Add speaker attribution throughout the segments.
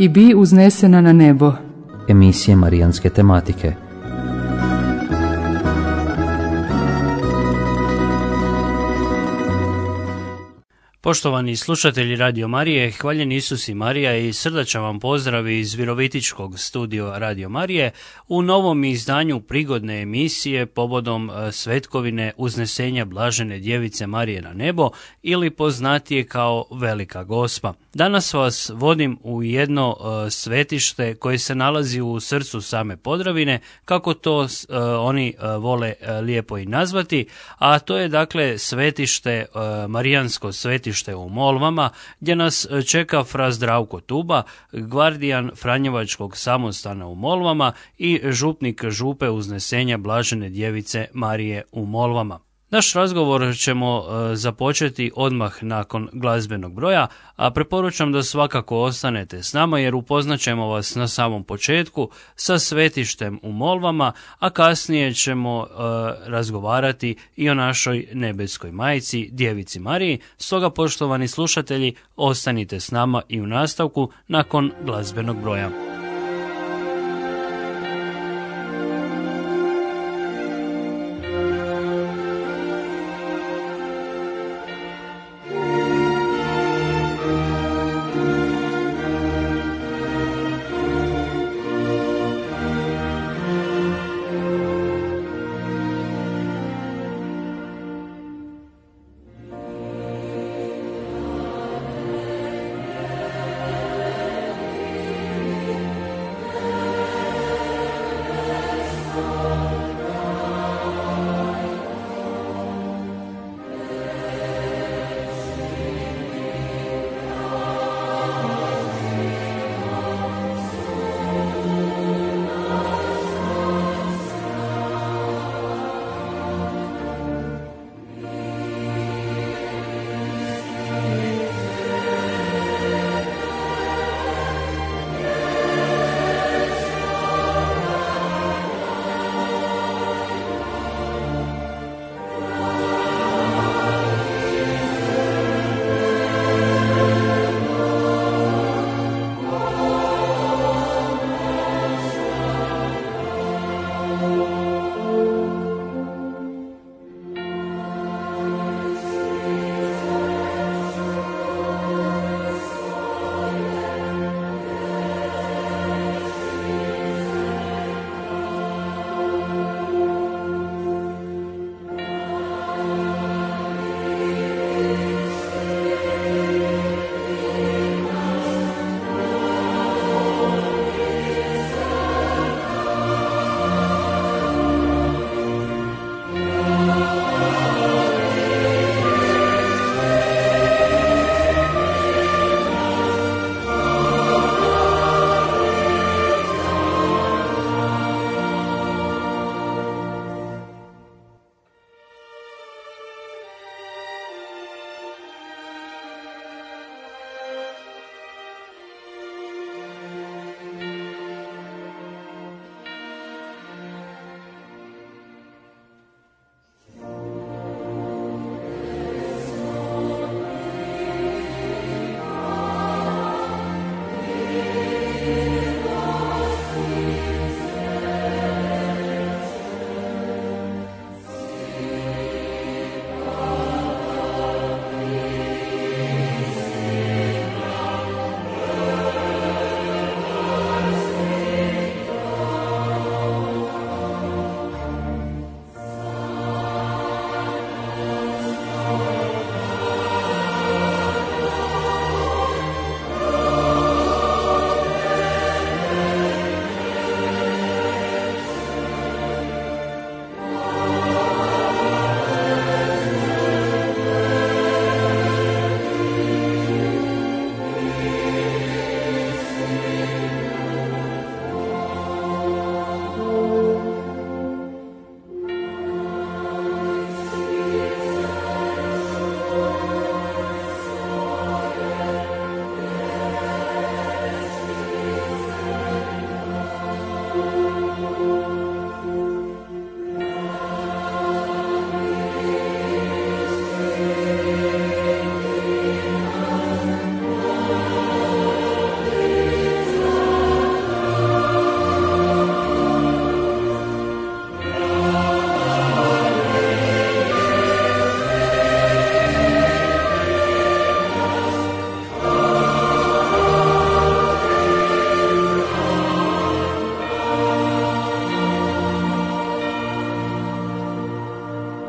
Speaker 1: i bi uznesena na nebo.
Speaker 2: Emisije marijanske tematike.
Speaker 3: Poštovani slušatelji Radio Marije, hvaljen Isus i Marija i srdačan vam pozdrav iz Virovitičkog studija Radio Marije u novom izdanju prigodne emisije povodom svetkovine uznesenja Blažene djevice Marije na nebo ili poznatije kao Velika Gospa. Danas vas vodim u jedno svetište koje se nalazi u srcu same Podravine, kako to oni vole lijepo i nazvati, a to je dakle svetište, marijansko svetište u Molvama, gdje nas čeka fra Zdravko Tuba, gvardijan Franjevačkog samostana u Molvama i župnik župe uznesenja Blažene djevice Marije u Molvama. Naš razgovor ćemo započeti odmah nakon glazbenog broja, a preporučam da svakako ostanete s nama jer upoznat ćemo vas na samom početku sa svetištem u Molvama, a kasnije ćemo razgovarati i o našoj nebeskoj majci, Djevici Mariji. Stoga, poštovani slušatelji, ostanite s nama i u nastavku nakon glazbenog broja.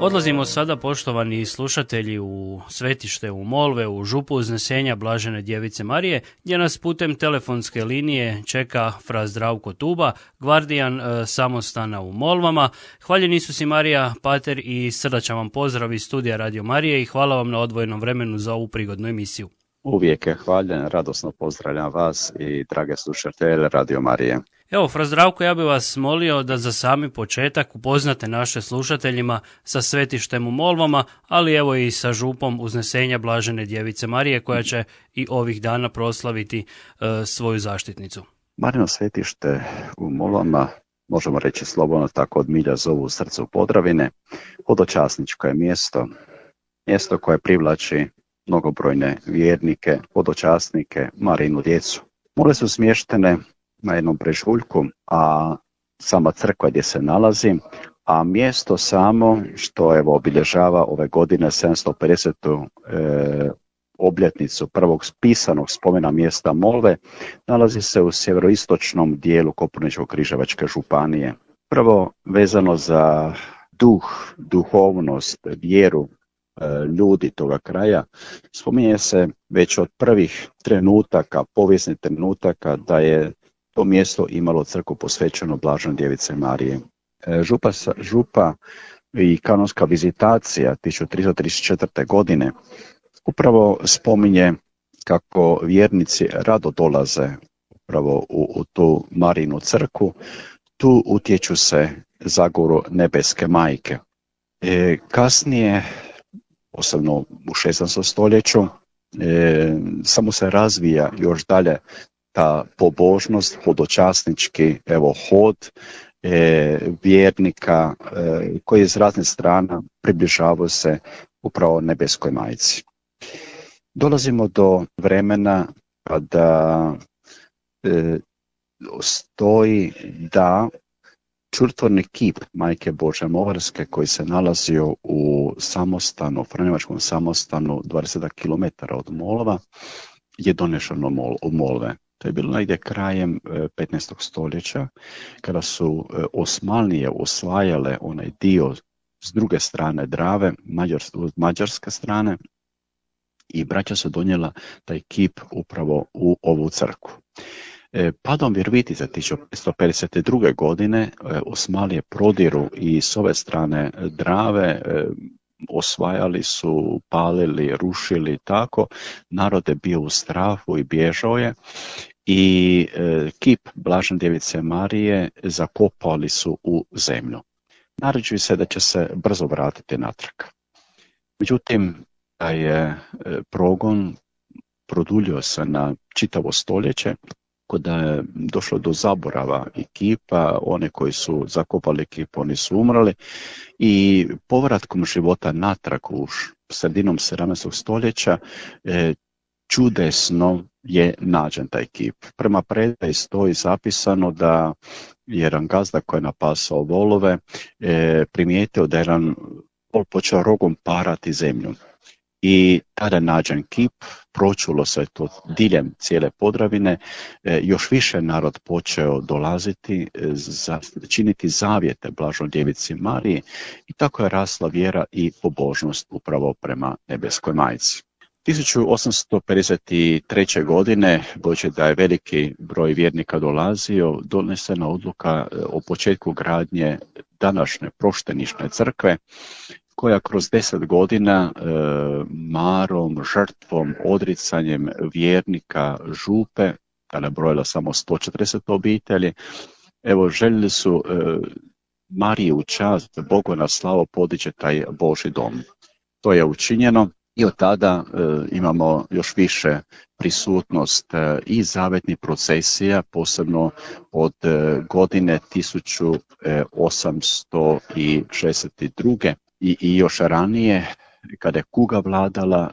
Speaker 3: Odlazimo sada, poštovani slušatelji, u svetište u Molve, u župu Uznesenja Blažene Djevice Marije, gdje nas putem telefonske linije čeka fra Zdravko Tuba, gvardijan samostana u Molvama. Hvaljen Isus i Marija, pater, i srdačan vam pozdrav iz studija Radio Marije i hvala vam na odvojenom vremenu za ovu prigodnu emisiju.
Speaker 4: Uvijek je hvaljen, radosno pozdravljam vas i drage slušatelje Radio Marije.
Speaker 3: Evo, fra Zdravko, ja bih vas molio da za sami početak upoznate naše slušateljima sa svetištem u Molvama, ali evo i sa župom Uznesenja Blažene Djevice Marije, koja će i ovih dana proslaviti svoju zaštitnicu.
Speaker 4: Marino svetište u Molvama, možemo reći slobodno tako, od milja zovu u srcu Podravine, hodočasničko je mjesto koje privlači mnogobrojne vjernike, hodočasnike, Marinu djecu. Mole su smještene na jednom brežuljku, a sama crkva gdje se nalazi, a mjesto samo što obilježava ove godine 750. Obljetnicu prvog pisanog spomena mjesta Molve, nalazi se u sjeveroistočnom dijelu Koprivničko-križevačke županije. Prvo vezano za duhovnost, vjeru ljudi toga kraja, spominje se već od prvih trenutaka, povijesnih trenutaka, da je to mjesto imalo crkvu posvećenu Blaženoj Djevici Marije. Župa i kanonska vizitacija 1334. godine upravo spominje kako vjernici rado dolaze upravo u tu Marinu crkvu, tu utječu se zagoru nebeske majke. Kasnije, posebno u 16. stoljeću, samo se razvija još dalje ta pobožnost, hodočasnički hod vjernika koji iz raznih strana približavaju se upravo nebeskoj majci. Dolazimo do vremena kada stoji da čudotvorni kip Majke Božje Movarske koji se nalazio u samostanu, franjevačkom samostanu 20 km od Molva, je donešeno u Molve. To je bilo negdje krajem 15. stoljeća, kada su Osmanlije osvajale onaj dio s druge strane Drave, mađarske strane, i braća su donijela taj kip upravo u ovu crkvu. Padom Virovitice 1552. godine Osmanlije prodiru i s ove strane Drave, osvajali su, palili, rušili, tako. Narod je bio u strahu i bježao je i kip Blažene Djevice Marije zakopali su u zemlju. Naređuje se da će se brzo vratiti natrag. Međutim, taj je progon produljio se na čitavo stoljeće, kada je došlo do zaborava i kipa, one koji su zakopali kip, oni su umrli, i povratkom života natrag u sredinom 17. stoljeća čudesno je nađen taj kip. Prema predaji stoji zapisano da je jedan gazda koji je napasao volove primijetio da je jedan vol počeo rogom parati zemlju. I tada je nađen kip, pročulo se to diljem cijele Podravine, još više narod počeo dolaziti, činiti zavjete Blaženoj Djevici Mariji, i tako je rasla vjera i pobožnost upravo prema nebeskoj majci. 1853. godine, budući da je veliki broj vjernika dolazio, donesena odluka o početku gradnje današnje proštenične crkve, koja kroz 10 godina marom, žrtvom, odricanjem vjernika župe, kada je brojila samo 140 obitelji, željeli su Mariji u čast, Bogu na slavu podići taj Božji dom. To je učinjeno i od tada imamo još više prisutnost i zavetnih procesija, posebno od godine 1862. I još ranije, kada je kuga vladala,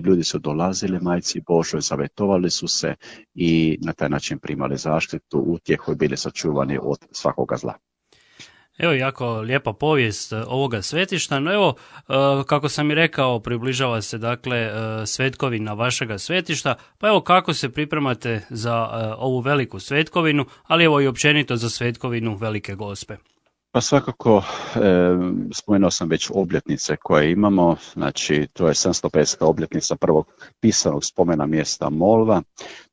Speaker 4: ljudi su dolazili Majci Božoj, zavetovali su se i na taj način primali zaštitu, utjehu i bili sačuvani od svakoga zla.
Speaker 3: Evo, jako lijepa povijest ovoga svetišta, no evo, kako sam i rekao, približava se dakle svetkovina vašega svetišta, pa evo kako se pripremate za ovu veliku svetkovinu, ali evo i općenito za svetkovinu Velike Gospe.
Speaker 4: Pa svakako, spomenuo sam već obljetnice koje imamo, znači to je 750. obljetnica prvog pisanog spomena mjesta Molva,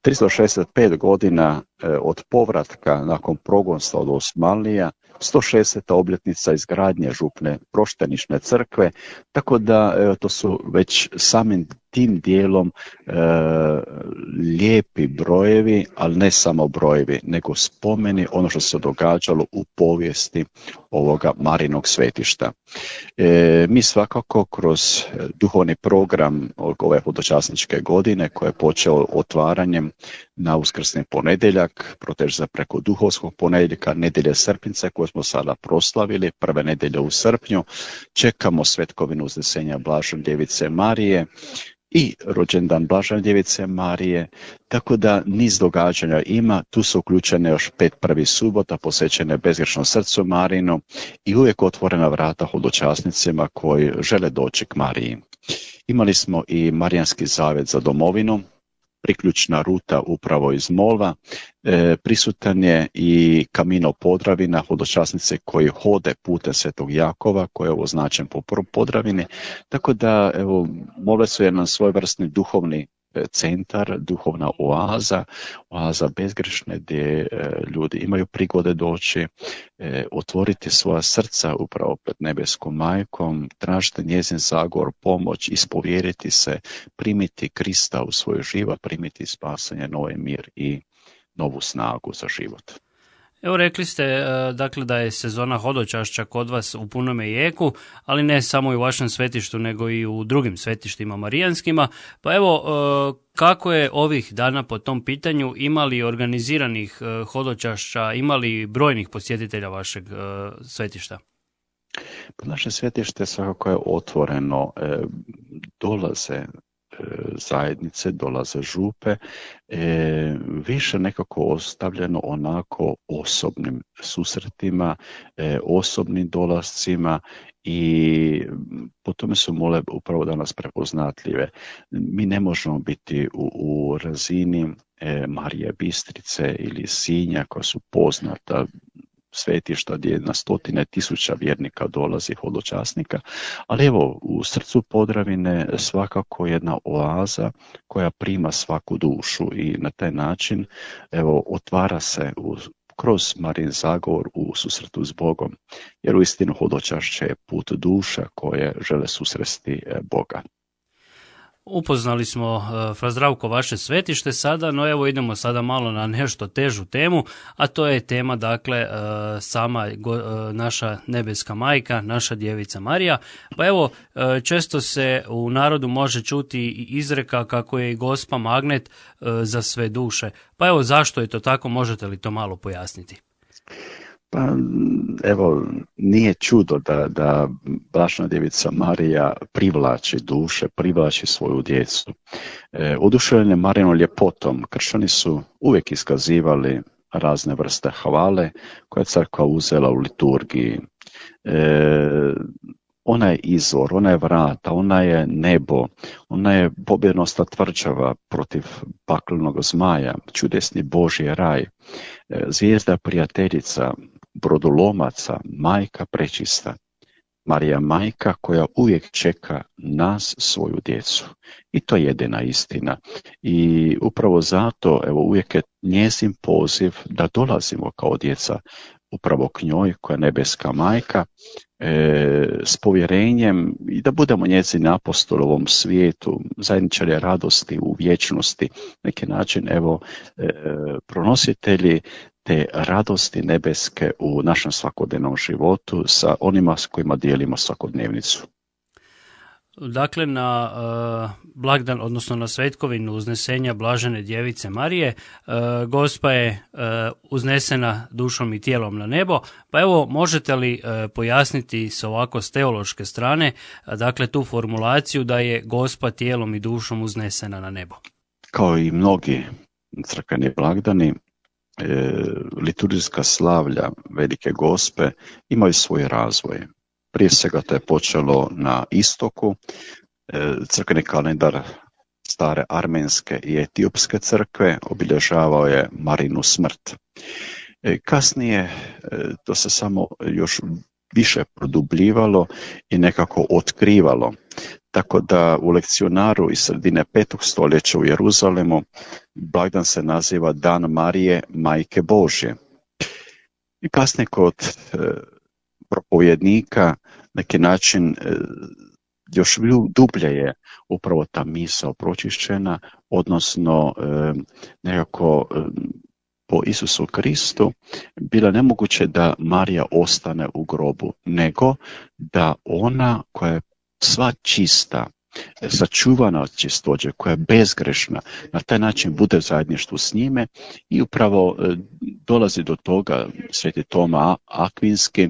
Speaker 4: 365 godina od povratka nakon progonstva od Osmanlija, 160. obljetnica izgradnje župne proštenične crkve, tako da to su već samim tim dijelom lijepi brojevi, ali ne samo brojevi, nego spomeni ono što se događalo u povijesti ovoga Marijinog svetišta. Mi svakako kroz duhovni program ove hodočasničke godine koje je počeo otvaranjem na uskrsni ponedjeljak, proteže preko duhovskog ponedjeljka, nedjelje srpnjice koje smo sada proslavili, prve nedjelje u srpnju, čekamo svetkovinu uznesenja Blažene Djevice Marije i rođendan Blažene Djevice Marije, tako da niz događanja ima, tu su uključene još 5 prvih subota posvećene bezgrešnom srcu Marinu i uvijek otvorena vrata hodočasnicima koji žele doći k Mariji. Imali smo i Marijanski zavjet za domovinu, priključna ruta upravo iz Molva, prisutan je i Camino Podravina, hodočasnice koji hode putem Svetog Jakova, koji je označen po Podravini, tako da evo, Molve su jedan svojevrsni duhovni centar, duhovna oaza bezgrešne gdje ljudi imaju prigode doći, otvoriti svoja srca upravo pred nebeskom majkom, tražiti njezin zagovor, pomoć, ispovjeriti se, primiti Krista u svoj život, primiti spasanje, novi mir i novu snagu za život.
Speaker 3: Evo rekli ste dakle da je sezona hodočašća kod vas u punome jeku, ali ne samo i u vašem svetištu nego i u drugim svetištima marijanskima. Pa evo kako je ovih dana po tom pitanju, imali organiziranih hodočašća, imali brojnih posjetitelja vašeg svetišta?
Speaker 4: Naše svetište svakako je otvoreno, dolaze zajednice, dolaze župe, više nekako ostavljeno onako osobnim susretima, osobnim dolascima i po tome su Molve upravo danas prepoznatljive. Mi ne možemo biti u razini Marije Bistrice ili Sinja koja su poznata svetišta gdje na stotine tisuća vjernika dolazi hodočasnika, ali evo u srcu Podravine svakako jedna oaza koja prima svaku dušu i na taj način evo otvara se kroz Marijin zagovor u susretu s Bogom, jer uistinu hodočašće je put duša koje žele susresti Boga.
Speaker 3: Upoznali smo, Fra Zdravko, vaše svetište sada, no evo idemo sada malo na nešto težu temu, a to je tema, dakle, sama naša nebeska majka, naša djevica Marija. Pa evo, često se u narodu može čuti i izreka kako je i Gospa magnet za sve duše. Pa evo, zašto je to tako, možete li to malo pojasniti?
Speaker 4: Pa evo, nije čudo da Blažena Djevica Marija privlači duše, privlači svoju djecu. Oduševljeni Marijinom ljepotom, kršćani su uvijek iskazivali razne vrste hvale koje je crkva uzela u liturgiji. Ona je izvor, ona je vrata, ona je nebo, ona je pobjednosna tvrđava protiv paklenog zmaja, čudesni Božji raj, zvijezda prijateljica, brodolomaca, majka prečista. Marija majka koja uvijek čeka nas, svoju djecu. I to je jedina istina. I upravo zato evo, uvijek je njezin poziv da dolazimo kao djeca upravo k njoj koja je nebeska majka, s povjerenjem i da budemo njezini apostol u ovom svijetu, zajedničari radosti u vječnosti, neki način evo pronositelji te radosti nebeske u našem svakodnevnom životu sa onima s kojima dijelimo svakodnevnicu.
Speaker 3: Dakle, na blagdan, odnosno na svetkovinu uznesenja Blažene Djevice Marije, Gospa je uznesena dušom i tijelom na nebo, pa evo možete li pojasniti s ovako s teološke strane, dakle tu formulaciju da je Gospa tijelom i dušom uznesena na nebo? Kao
Speaker 4: i mnogi crkveni blagdani, liturgijska slavlja Velike Gospe imaju svoj razvoj. Prije svega to je počelo na istoku, crkveni kalendar stare armenske i etiopske crkve obilježavao je Marinu smrt. Kasnije to se samo još više produbljivalo i nekako otkrivalo. Tako da u lekcionaru iz sredine 5. stoljeća u Jeruzalemu blagdan se naziva Dan Marije, Majke Božje. I kasnije kod propovjednika neki način još dublje je upravo ta misao pročišćena, odnosno nekako po Isusu Kristu bilo nemoguće da Marija ostane u grobu, nego da ona koja je sva čista, sačuvana od čistoće, koja je bezgrešna, na taj način bude u zajedništvu s njime i upravo dolazi do toga sveti Toma Akvinski,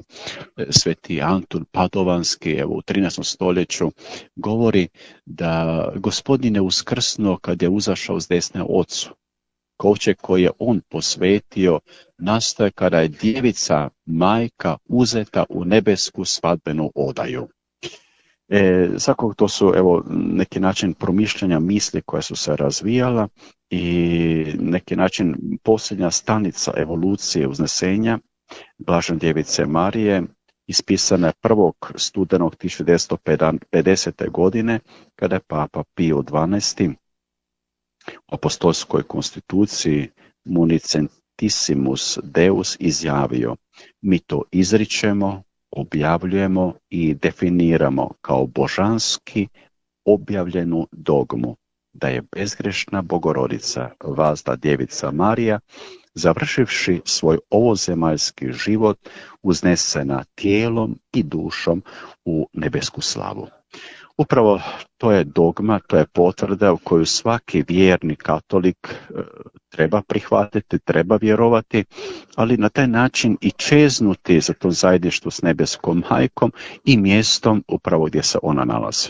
Speaker 4: sveti Antun Padovanski, evo u 13. stoljeću, govori da Gospodin je uskrsnuo kad je uzašao s desne Ocu. Kovčeg koji je on posvetio nastaje kada je djevica majka uzeta u nebesku svadbenu odaju. Svakako to su evo neki način promišljanja misli koja su se razvijala i neki način posljednja stanica evolucije uznesenja Blažene djevice Marije ispisana je 1. studenog 1950. godine kada je Papa Pio XII u apostolskoj konstituciji Municentissimus Deus izjavio: mi to izričemo, objavljujemo i definiramo kao božanski objavljenu dogmu da je bezgrešna Bogorodica, vazda djevica Marija, završivši svoj ovozemaljski život, uznesena tijelom i dušom u nebesku slavu. Upravo to je dogma, to je potvrda u koju svaki vjerni katolik treba prihvatiti, treba vjerovati, ali na taj način i čeznuti za to zajedništvo s nebeskom majkom i mjestom upravo gdje se ona nalazi.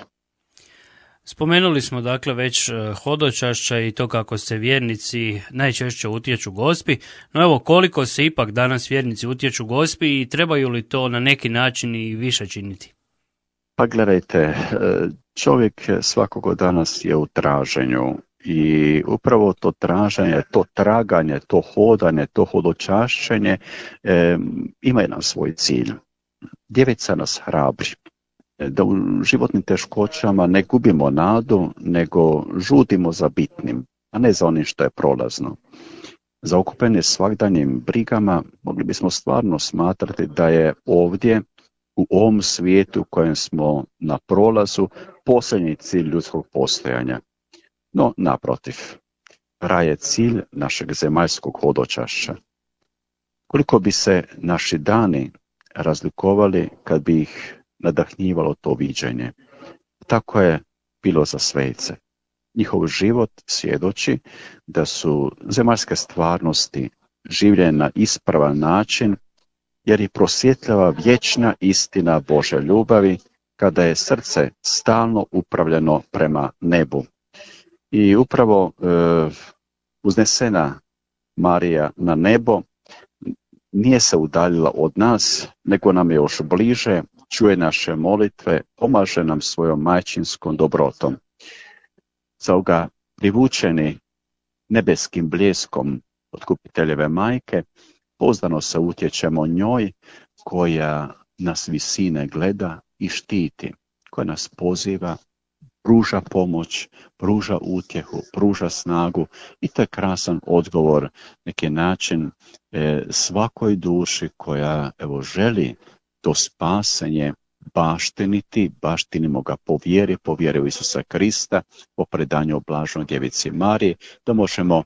Speaker 3: Spomenuli smo dakle već hodočašća i to kako se vjernici najčešće utječu Gospi, no evo koliko se ipak danas vjernici utječu Gospi i trebaju li to na neki način i više činiti?
Speaker 4: Pa gledajte, čovjek svakog danas je u traženju i upravo to traženje, to traganje, to hodanje, to hodočašćenje ima jedan svoj cilj. Djevica nas hrabri, da u životnim teškoćama ne gubimo nadu, nego žudimo za bitnim, a ne za onim što je prolazno. Zaokupeni svagdanjim brigama mogli bismo stvarno smatrati da je ovdje u ovom svijetu u kojem smo na prolazu posljednji cilj ljudskog postojanja. No, naprotiv, raj je cilj našeg zemaljskog hodočašća. Koliko bi se naši dani razlikovali kad bi ih nadahnjivalo to viđenje? Tako je bilo za svejce. Njihov život svjedoči da su zemaljske stvarnosti življene na ispravan način, jer ih prosvjetljava vječna istina Božje ljubavi, kada je srce stalno upravljeno prema nebu. I upravo uznesena Marija na nebo nije se udaljila od nas, nego nam je još bliže, čuje naše molitve, pomaže nam svojom majčinskom dobrotom. Stoga privučeni nebeskim bljeskom otkupiteljeve majke, pouzdano se utječemo njoj koja nas visine gleda i štiti, koja nas poziva, pruža pomoć, pruža utjehu, pruža snagu i to je krasan odgovor, neki način svakoj duši koja želi to spasenje baštinimo ga po vjeri u Isusa Krista, po predanju Blaženoj djevici Mariji, da možemo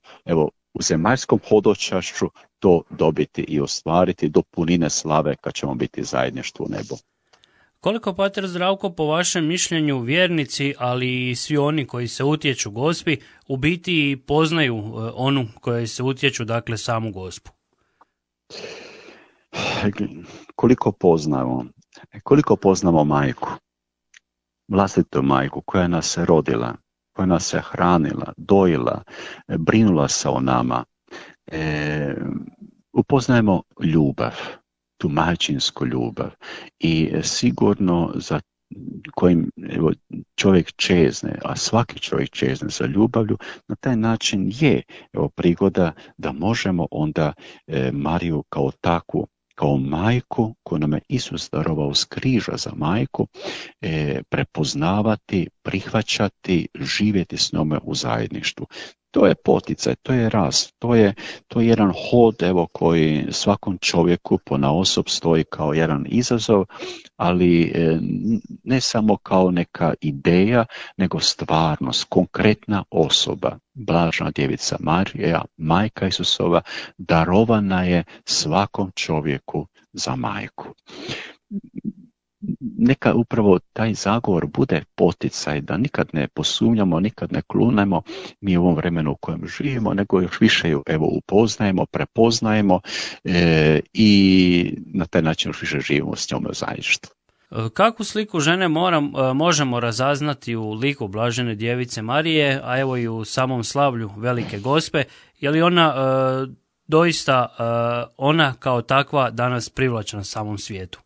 Speaker 4: u zemaljskom hodočašću to dobiti i ostvariti do punine slave kad ćemo biti zajedništvo u nebu.
Speaker 3: Koliko, pater Zdravko, po vašem mišljenju vjernici, ali i svi oni koji se utječu Gospi, u biti poznaju onu koji se utječu, dakle samu Gospu?
Speaker 4: Koliko poznamo majku, vlastitu majku koja nas je rodila, koja nas je hranila, dojila, brinula se o nama. Upoznajemo ljubav, tu majčinsku ljubav i sigurno za kojim evo, čovjek čezne, a svaki čovjek čezne za ljubavlju, na taj način je evo, prigoda da možemo onda Mariju kao takvu, kao majku koju nam je Isus darovao s križa za majku, prepoznavati, prihvaćati, živjeti s njome u zajedništvu. To je poticaj, to je rast, to je jedan hod evo, koji svakom čovjeku ponaosob stoji kao jedan izazov, ali ne samo kao neka ideja, nego stvarnost, konkretna osoba. Blažena djevica Marija, majka Isusova, darovana je svakom čovjeku za majku. Neka upravo taj zagovor bude poticaj da nikad ne posumnjamo, nikad ne klunemo mi u ovom vremenu u kojem živimo, nego još više ju evo upoznajemo, prepoznajemo i na taj način još više živimo s njom u zajedništvu.
Speaker 3: Kakvu sliku žene možemo razaznati u liku Blažene djevice Marije, a evo i u samom slavlju Velike Gospe? Je li ona doista ona kao takva danas privlačna samom svijetu?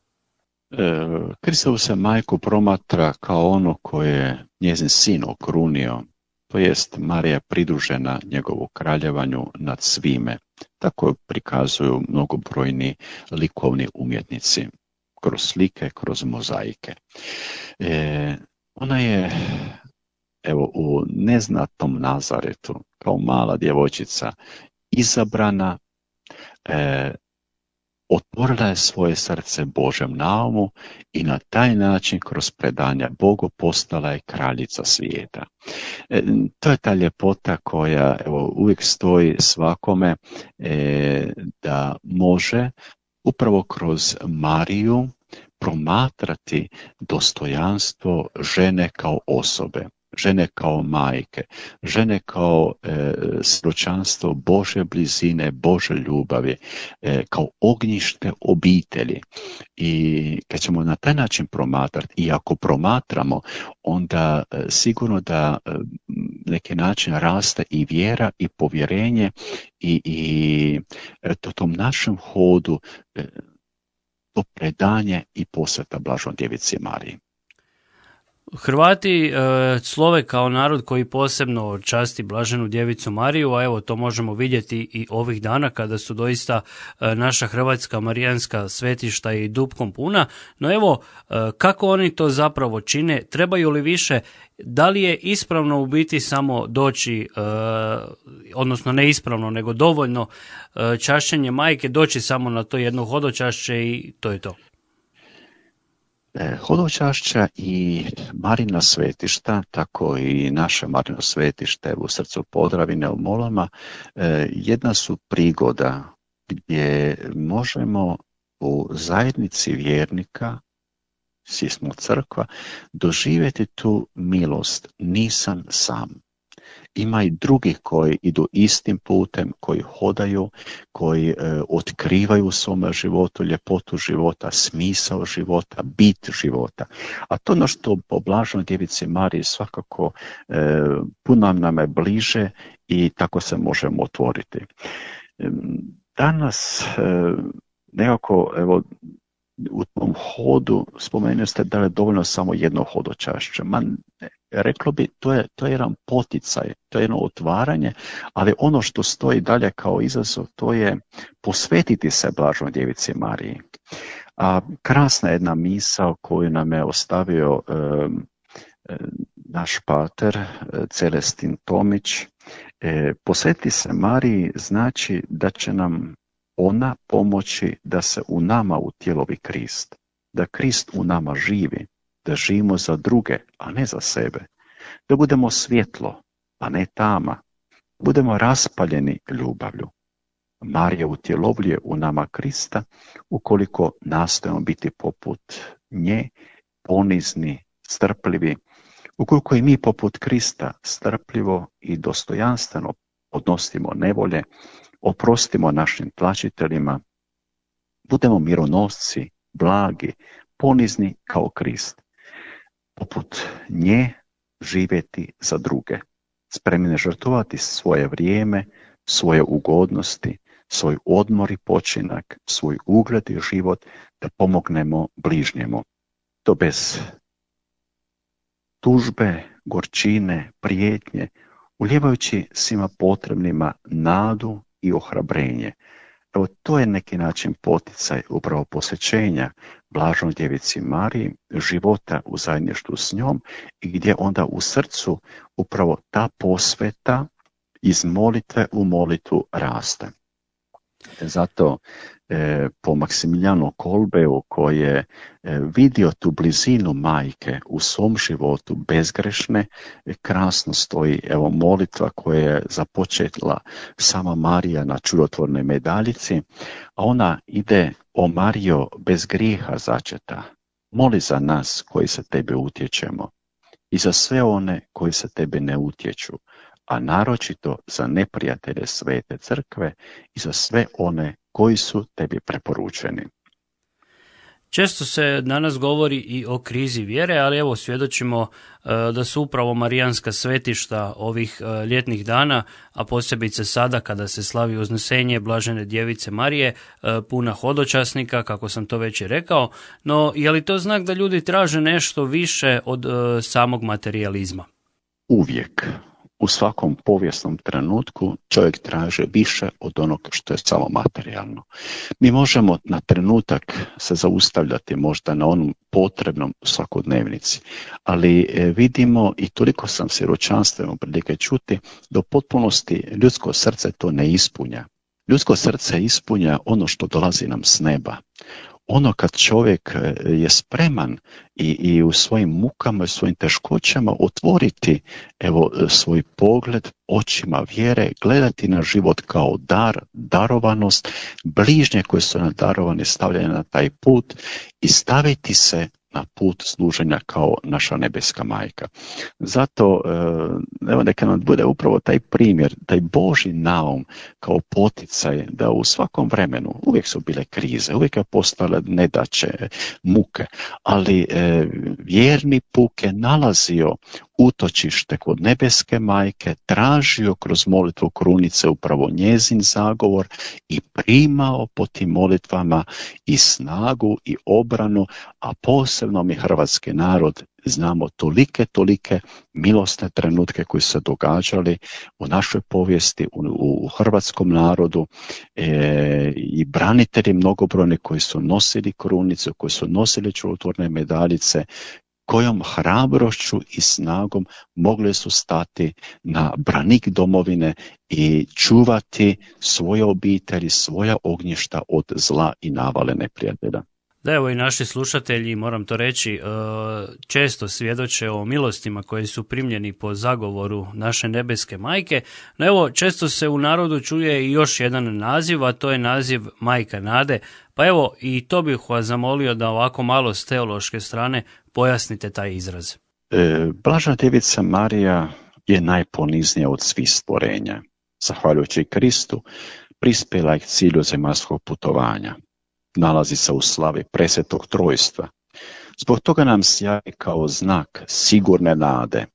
Speaker 4: Kristovu se majku promatra kao ono koje je njezin sin okrunio, to jest Marija pridružena njegovu kraljevanju nad svime. Tako prikazuju mnogobrojni likovni umjetnici, kroz slike, kroz mozaike. Ona je evo, u neznatnom Nazaretu, kao mala djevojčica, izabrana, otvorila je svoje srce Božem naumu i na taj način kroz predanja Bogu postala je kraljica svijeta. To je ta ljepota koja evo, uvijek stoji svakome da može upravo kroz Mariju promatrati dostojanstvo žene kao osobe, žene kao majke, žene kao svjedočanstvo Božje blizine, Božje ljubavi, kao ognjište obitelji. I kad ćemo na taj način promatrati, i ako promatramo, onda sigurno da neki način raste i vjera i povjerenje i tom našem hodu to predanje i posveta Blaženoj djevici Mariji.
Speaker 3: Hrvati slove kao narod koji posebno časti Blaženu djevicu Mariju, a evo to možemo vidjeti i ovih dana kada su doista naša hrvatska marijanska svetišta i dupkom puna. No evo, kako oni to zapravo čine, trebaju li više, da li je ispravno u biti samo doći, odnosno ne ispravno, nego dovoljno čašćenje majke, doći samo na to jedno hodočašće i to je to?
Speaker 4: Hodočašća i Marina svetišta, tako i naše Marino svetište u srcu Podravine u Molama, jedna su prigoda gdje možemo u zajednici vjernika, svi smo crkva, doživjeti tu milost, nisam sam. Ima i drugih koji idu istim putem, koji hodaju, koji otkrivaju u svome životu ljepotu života, smisao života, bit života. A to ono što po Blaženoj djevici Mariji svakako puno nam je bliže i tako se možemo otvoriti. Danas nekako, evo, u tom hodu spomenuli ste da je dovoljno samo jedno hodočašće. Reklo bi, to je jedan poticaj, to je jedno otvaranje, ali ono što stoji dalje kao izazov, to je posvetiti se Blaženoj djevici Mariji. A krasna jedna misao koju nam je ostavio naš pater Celestin Tomić, posvetiti se Mariji znači da će nam ona pomoći da se u nama utjelovi Krist, da Krist u nama živi, da živimo za druge, a ne za sebe, da budemo svjetlo, a ne tama, budemo raspaljeni ljubavlju. Marija utjelovljuje u nama Krista ukoliko nastojimo biti poput nje, ponizni, strpljivi, ukoliko i mi poput Krista strpljivo i dostojanstveno podnosimo nevolje, oprostimo našim tlačiteljima, budemo mironosci, blagi, ponizni kao Krist. Poput nje živjeti za druge, spremni žrtvovati svoje vrijeme, svoje ugodnosti, svoj odmor i počinak, svoj ugled i život da pomognemo bližnjemu. To bez tužbe, gorčine, prijetnje, ulijevajući svima potrebnima nadu i ohrabrenje. Evo, to je neki način poticaj upravo posvećenja blaženoj djevici Mariji, života u zajedništvu s njom i gdje onda u srcu upravo ta posveta iz molitve u molitvu raste. Zato po Maksimilijanu Kolbeu koji je vidio tu blizinu majke u svom životu bezgrešne, krasno stoji evo molitva koja je započetla sama Marija na čudotvornoj medaljici, a ona ide: o Marijo bez grijeha začeta, moli za nas koji se tebe utječemo i za sve one koji se tebe ne utječu, a naročito za neprijatelje svete crkve i za sve one koji su tebi preporučeni.
Speaker 3: Često se danas govori i o krizi vjere, ali evo svjedočimo da su upravo marijanska svetišta ovih ljetnih dana, a posebice sada kada se slavi uznesenje blažene djevice Marije, puna hodočasnika, kako sam to već i rekao, no je li to znak da ljudi traže nešto više od samog materijalizma?
Speaker 4: Uvijek. U svakom povijesnom trenutku čovjek traže više od onog što je samo materijalno. Mi možemo na trenutak se zaustavljati možda na onom potrebnom svakodnevnici, ali vidimo i toliko sam svjedočanstveno prilike čuti da u potpunosti ljudsko srce to ne ispunja. Ljudsko srce ispunja ono što dolazi nam s neba. Ono kad čovjek je spreman i u svojim mukama i svojim teškoćama otvoriti evo svoj pogled očima vjere, gledati na život kao dar, darovanost, bližnje koje su nam darovane stavljene na taj put i staviti se na put služenja kao naša nebeska majka. Zato evo neka nam bude upravo taj primjer, taj Božji naum kao poticaj da u svakom vremenu, uvijek su bile krize, uvijek je postale nedaće, muke, ali vjerni puk je nalazio utočište kod nebeske majke, tražio kroz molitvu krunice upravo njezin zagovor i primao po tim molitvama i snagu i obranu, a posebno mi hrvatski narod znamo tolike milosne trenutke koji su se događali u našoj povijesti, u hrvatskom narodu i branitelji mnogobrojni koji su nosili krunicu, koji su nosili čudotvorne medaljice, kojom hrabrošću i snagom mogli su stati na branik domovine i čuvati svoje obitelji, svoja ognjišta od zla i navale neprijatelja.
Speaker 3: Da, evo i naši slušatelji, moram to reći, često svjedoče o milostima koji su primljeni po zagovoru naše nebeske majke, no evo često se u narodu čuje i još jedan naziv, a to je naziv Majka Nade, pa evo i to bih vas zamolio da ovako malo s teološke strane pojasnite taj izraz.
Speaker 4: Blažena djevica Marija je najponiznija od svih stvorenja. Zahvaljujući Kristu, prispjela je k cilju zemaljskog putovanja. Nalazi se u slavi presvetog trojstva. Zbog toga nam sjaji kao znak sigurne nade.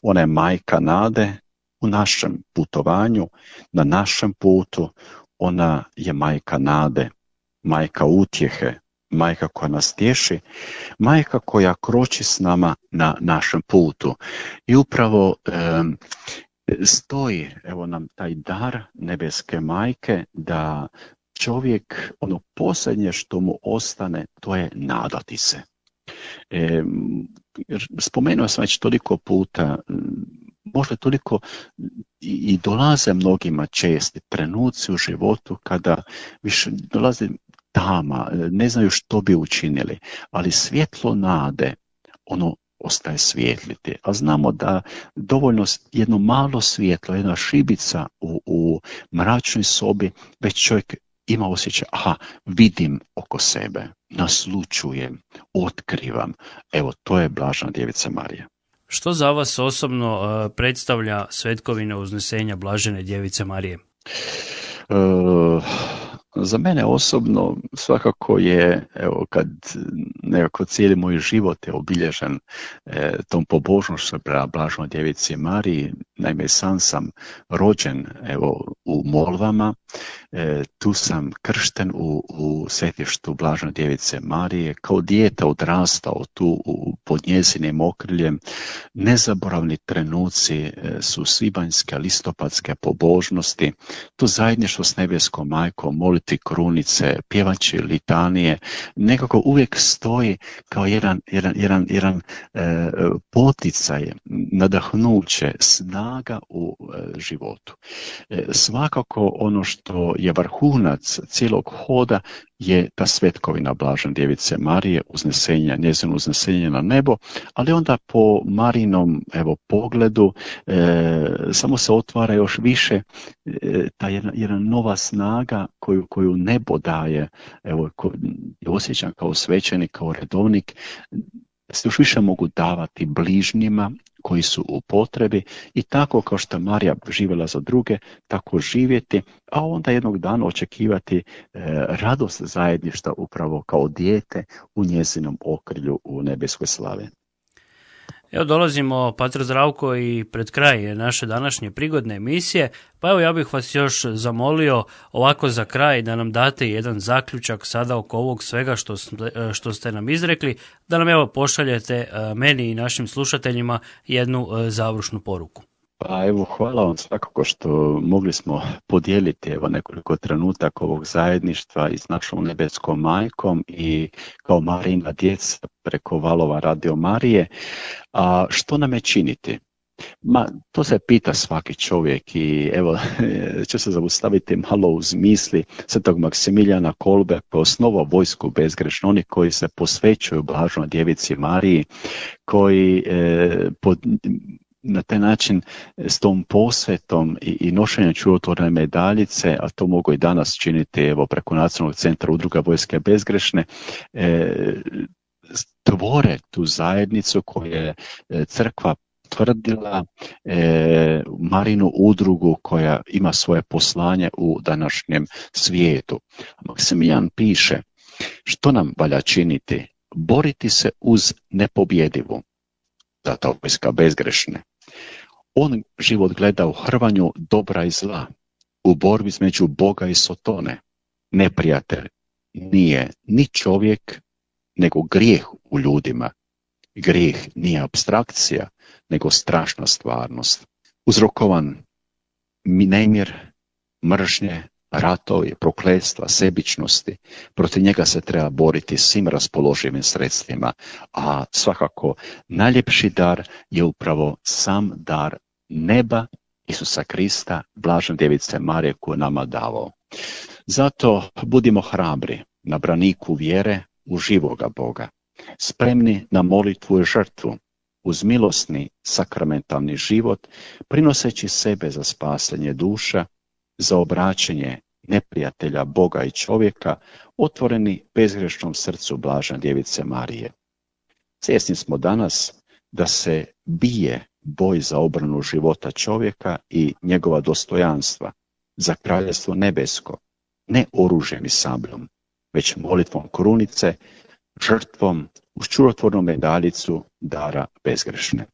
Speaker 4: Ona je majka nade u našem putovanju, na našem putu. Ona je majka nade, majka utjehe, majka koja nas tješi, majka koja kroči s nama na našem putu. I upravo stoji evo nam taj dar nebeske majke da čovjek, ono posljednje što mu ostane, to je nadati se. Spomenuo sam već toliko puta, možda toliko i dolaze mnogima česti trenuci u životu kada više dolazi tama, ne znaju što bi učinili, ali svjetlo nade, ono ostaje svijetliti. A znamo da dovoljno jedno malo svjetlo, jedna šibica u mračnoj sobi, već čovjek ima osjećaj, vidim oko sebe, naslučujem, otkrivam. Evo, to je blažena djevica Marija.
Speaker 3: Što za vas osobno predstavlja svetkovina uznesenja blažene djevice Marije?
Speaker 4: Za mene osobno svakako je, evo, kad nekako cijeli moj život je obilježen tom pobožnošću prema blaženoj djevici Mariji. Naime, sam rođen evo u Molvama. Tu sam kršten u svetištu Blažene djevice Marije. Kao dijete odrastao tu pod njezinim okriljem. Nezaboravni trenuci su svibanjske, listopadske pobožnosti. To zajedništvo s nebeskom majkom, moliti krunice, pjevači litanije, nekako uvijek stoji kao jedan poticaj, nadahnuće, snaga u životu. Svakako ono što je vrhunac cijelog hoda je ta svetkovina Blažene djevice Marije, njezino uznesenje na nebo, ali onda po Marinom pogledu samo se otvara još više ta jedna nova snaga koju nebo daje, osjećam kao svećenik, kao redovnik, se još više mogu davati bližnjima koji su u potrebi i tako kao što Marija živjela za druge, tako živjeti, a onda jednog dana očekivati radost zajedništva upravo kao dijete u njezinom okrilju u nebeskoj slavi.
Speaker 3: Evo dolazimo, Pater Zdravko, i pred kraj naše današnje prigodne emisije, pa evo ja bih vas još zamolio ovako za kraj da nam date jedan zaključak sada oko ovog svega što ste nam izrekli, da nam evo pošaljete meni i našim slušateljima jednu završnu poruku.
Speaker 4: Pa evo, hvala vam svakako što mogli smo podijeliti nekoliko trenutaka ovog zajedništva i s našom nebeskom majkom i kao Marijina djeca preko valova Radio Marije. A što nam je činiti? To se pita svaki čovjek i evo ću se zaustaviti malo uz misli svetog Maksimilijana Kolbe koji je osnovao vojsku bezgrešnu, oni koji se posvećuju Blaženoj djevici Mariji, koji na taj način s tom posvetom i nošenjem čudotvorne medaljice, a to mogu i danas činiti preko Nacionalnog centra udruga vojske bezgrešne, tvore tu zajednicu koju je crkva tvrdila, Marinu udrugu koja ima svoje poslanje u današnjem svijetu. Maksimilijan piše, što nam valja činiti? Boriti se uz nepobjedivu, zato vojska bezgrešne. On život gleda u hrvanju dobra i zla, u borbi između Boga i Sotone. Neprijatelj nije ni čovjek, nego grijeh u ljudima. Grijeh nije apstrakcija, nego strašna stvarnost. Uzrokovan nemir, mržnje, ratovi, prokletstva, sebičnosti, protiv njega se treba boriti svim raspoloživim sredstvima, a svakako najljepši dar je upravo sam dar neba Isusa Krista, Blažene djevice Marije koju nama davao. Zato budimo hrabri na braniku vjere u živoga Boga, spremni na molitvu i žrtvu, uz milosni sakramentalni život, prinoseći sebe za spasenje duša, za obraćanje neprijatelja Boga i čovjeka, otvoreni bezgrešnom srcu Blažene djevice Marije. Svjesni smo danas da se bije boj za obranu života čovjeka i njegova dostojanstva, za kraljevstvo nebesko, ne oružjem i sabljom, već molitvom krunice, žrtvom uz čudotvornu medaljicu dara bezgrešne.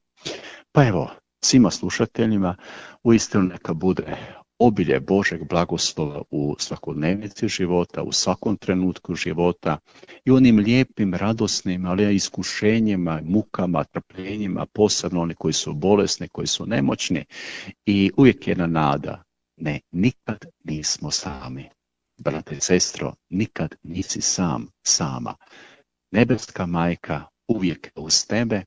Speaker 4: Pa evo, svima slušateljima uistinu neka bude obilje Božeg blagoslova u svakodnevnici života, u svakom trenutku života i onim lijepim, radosnim, ali i iskušenjima, mukama, trpljenjima, posebno oni koji su bolesni, koji su nemoćni, i uvijek jedna nada. Ne, nikad nismo sami. Brate i sestro, nikad nisi sam, sama. Nebeska majka uvijek je uz tebe,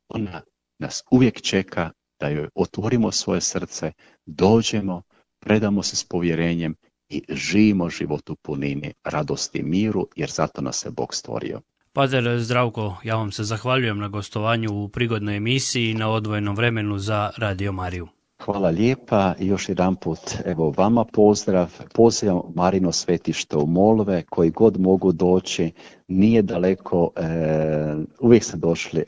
Speaker 4: ona nas uvijek čeka da joj otvorimo svoje srce, dođemo, predamo se s povjerenjem i živimo život u punini radosti i miru, jer zato nas je Bog stvorio.
Speaker 3: Pater Zdravko, ja vam se zahvaljujem na gostovanju u prigodnoj emisiji i na odvojenom vremenu za Radio Mariju.
Speaker 4: Hvala lijepa i još jedan put evo vama pozdrav. Pozivam Marino svetište u Molve, koji god mogu doći, nije daleko, uvijek ste došli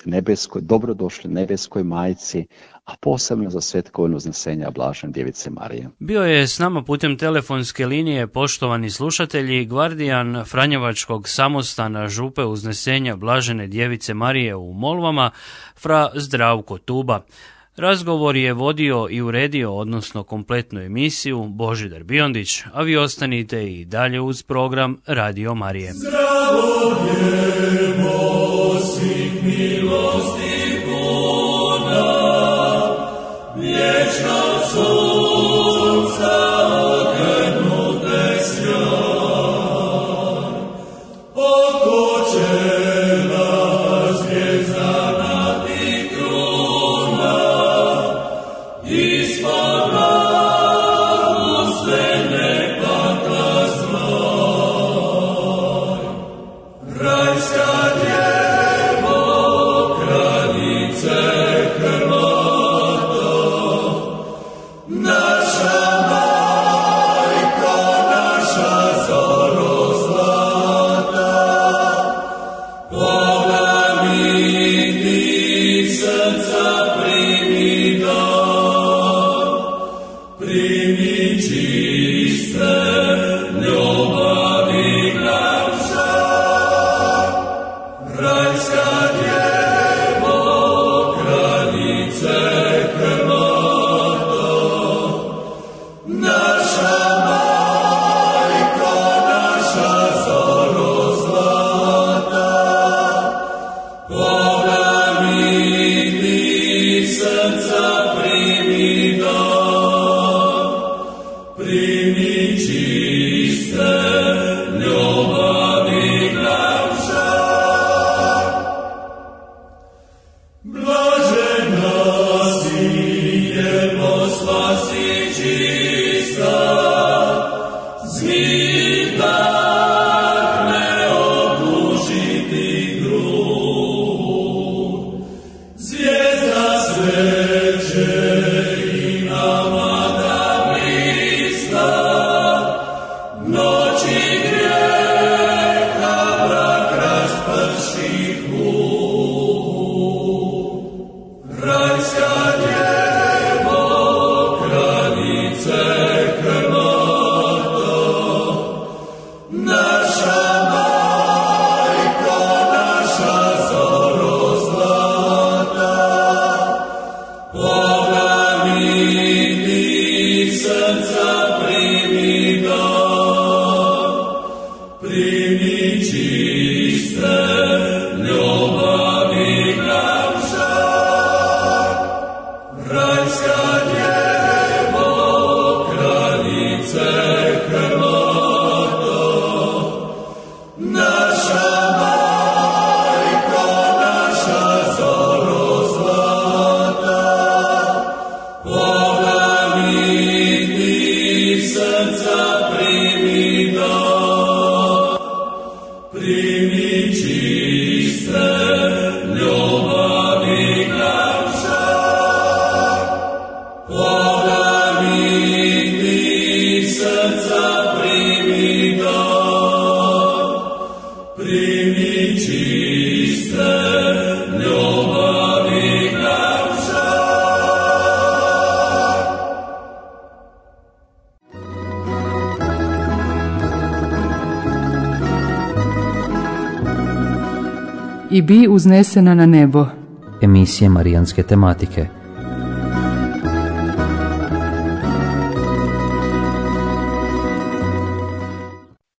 Speaker 4: dobrodošli nebeskoj majci, a posebno za svetkovinu uznesenja Blažene djevice Marije.
Speaker 3: Bio je s nama putem telefonske linije, poštovani slušatelji, gvardijan Franjevačkog samostana župe uznesenja Blažene djevice Marije u Molvama, fra Zdravko Tuba. Razgovor je vodio i uredio, odnosno kompletnu emisiju, Božidar Biondić, a vi ostanite i dalje uz program Radio Marije.
Speaker 5: Zdravo djevo svih milosti puna, vječna sunca okrenute sjaj, oko čela zvjezdana ti kruna, ispod glavu sve nek pakla zvaj. Rajska djevo, kraljice Hrvata, naša majko, naša zoro zlata, poglaviti srca primi dar, primi čiste ljubavi nam žar. Rajska djevo, kraljice Hrvata, naša majko, naša zoro zlata, poglaviti srca primi dar, primi čiste ljubavi nam žar. Blažena si, djevo, spasi čista, zmij tak ne obužiti grud. Zvijezda sreće i nama da blista, noći grijeha mrak rasprši hud. Rajska djevo, kraljice Hrvata, naša majko, naša zoro zlata, poglaviti srca primi dar, primi čiste ljubavi nam žar. Rajska djevo, kraljice Hrvata, naša majko, naša zoro zlata, poglaviti srca primi dar, primi čiste ljubavi nam žar. Poglaviti srca primi dar, primi čiste ljubavi nam žar.
Speaker 1: I bi uznesena na nebo.
Speaker 2: Emisije marijanske tematike.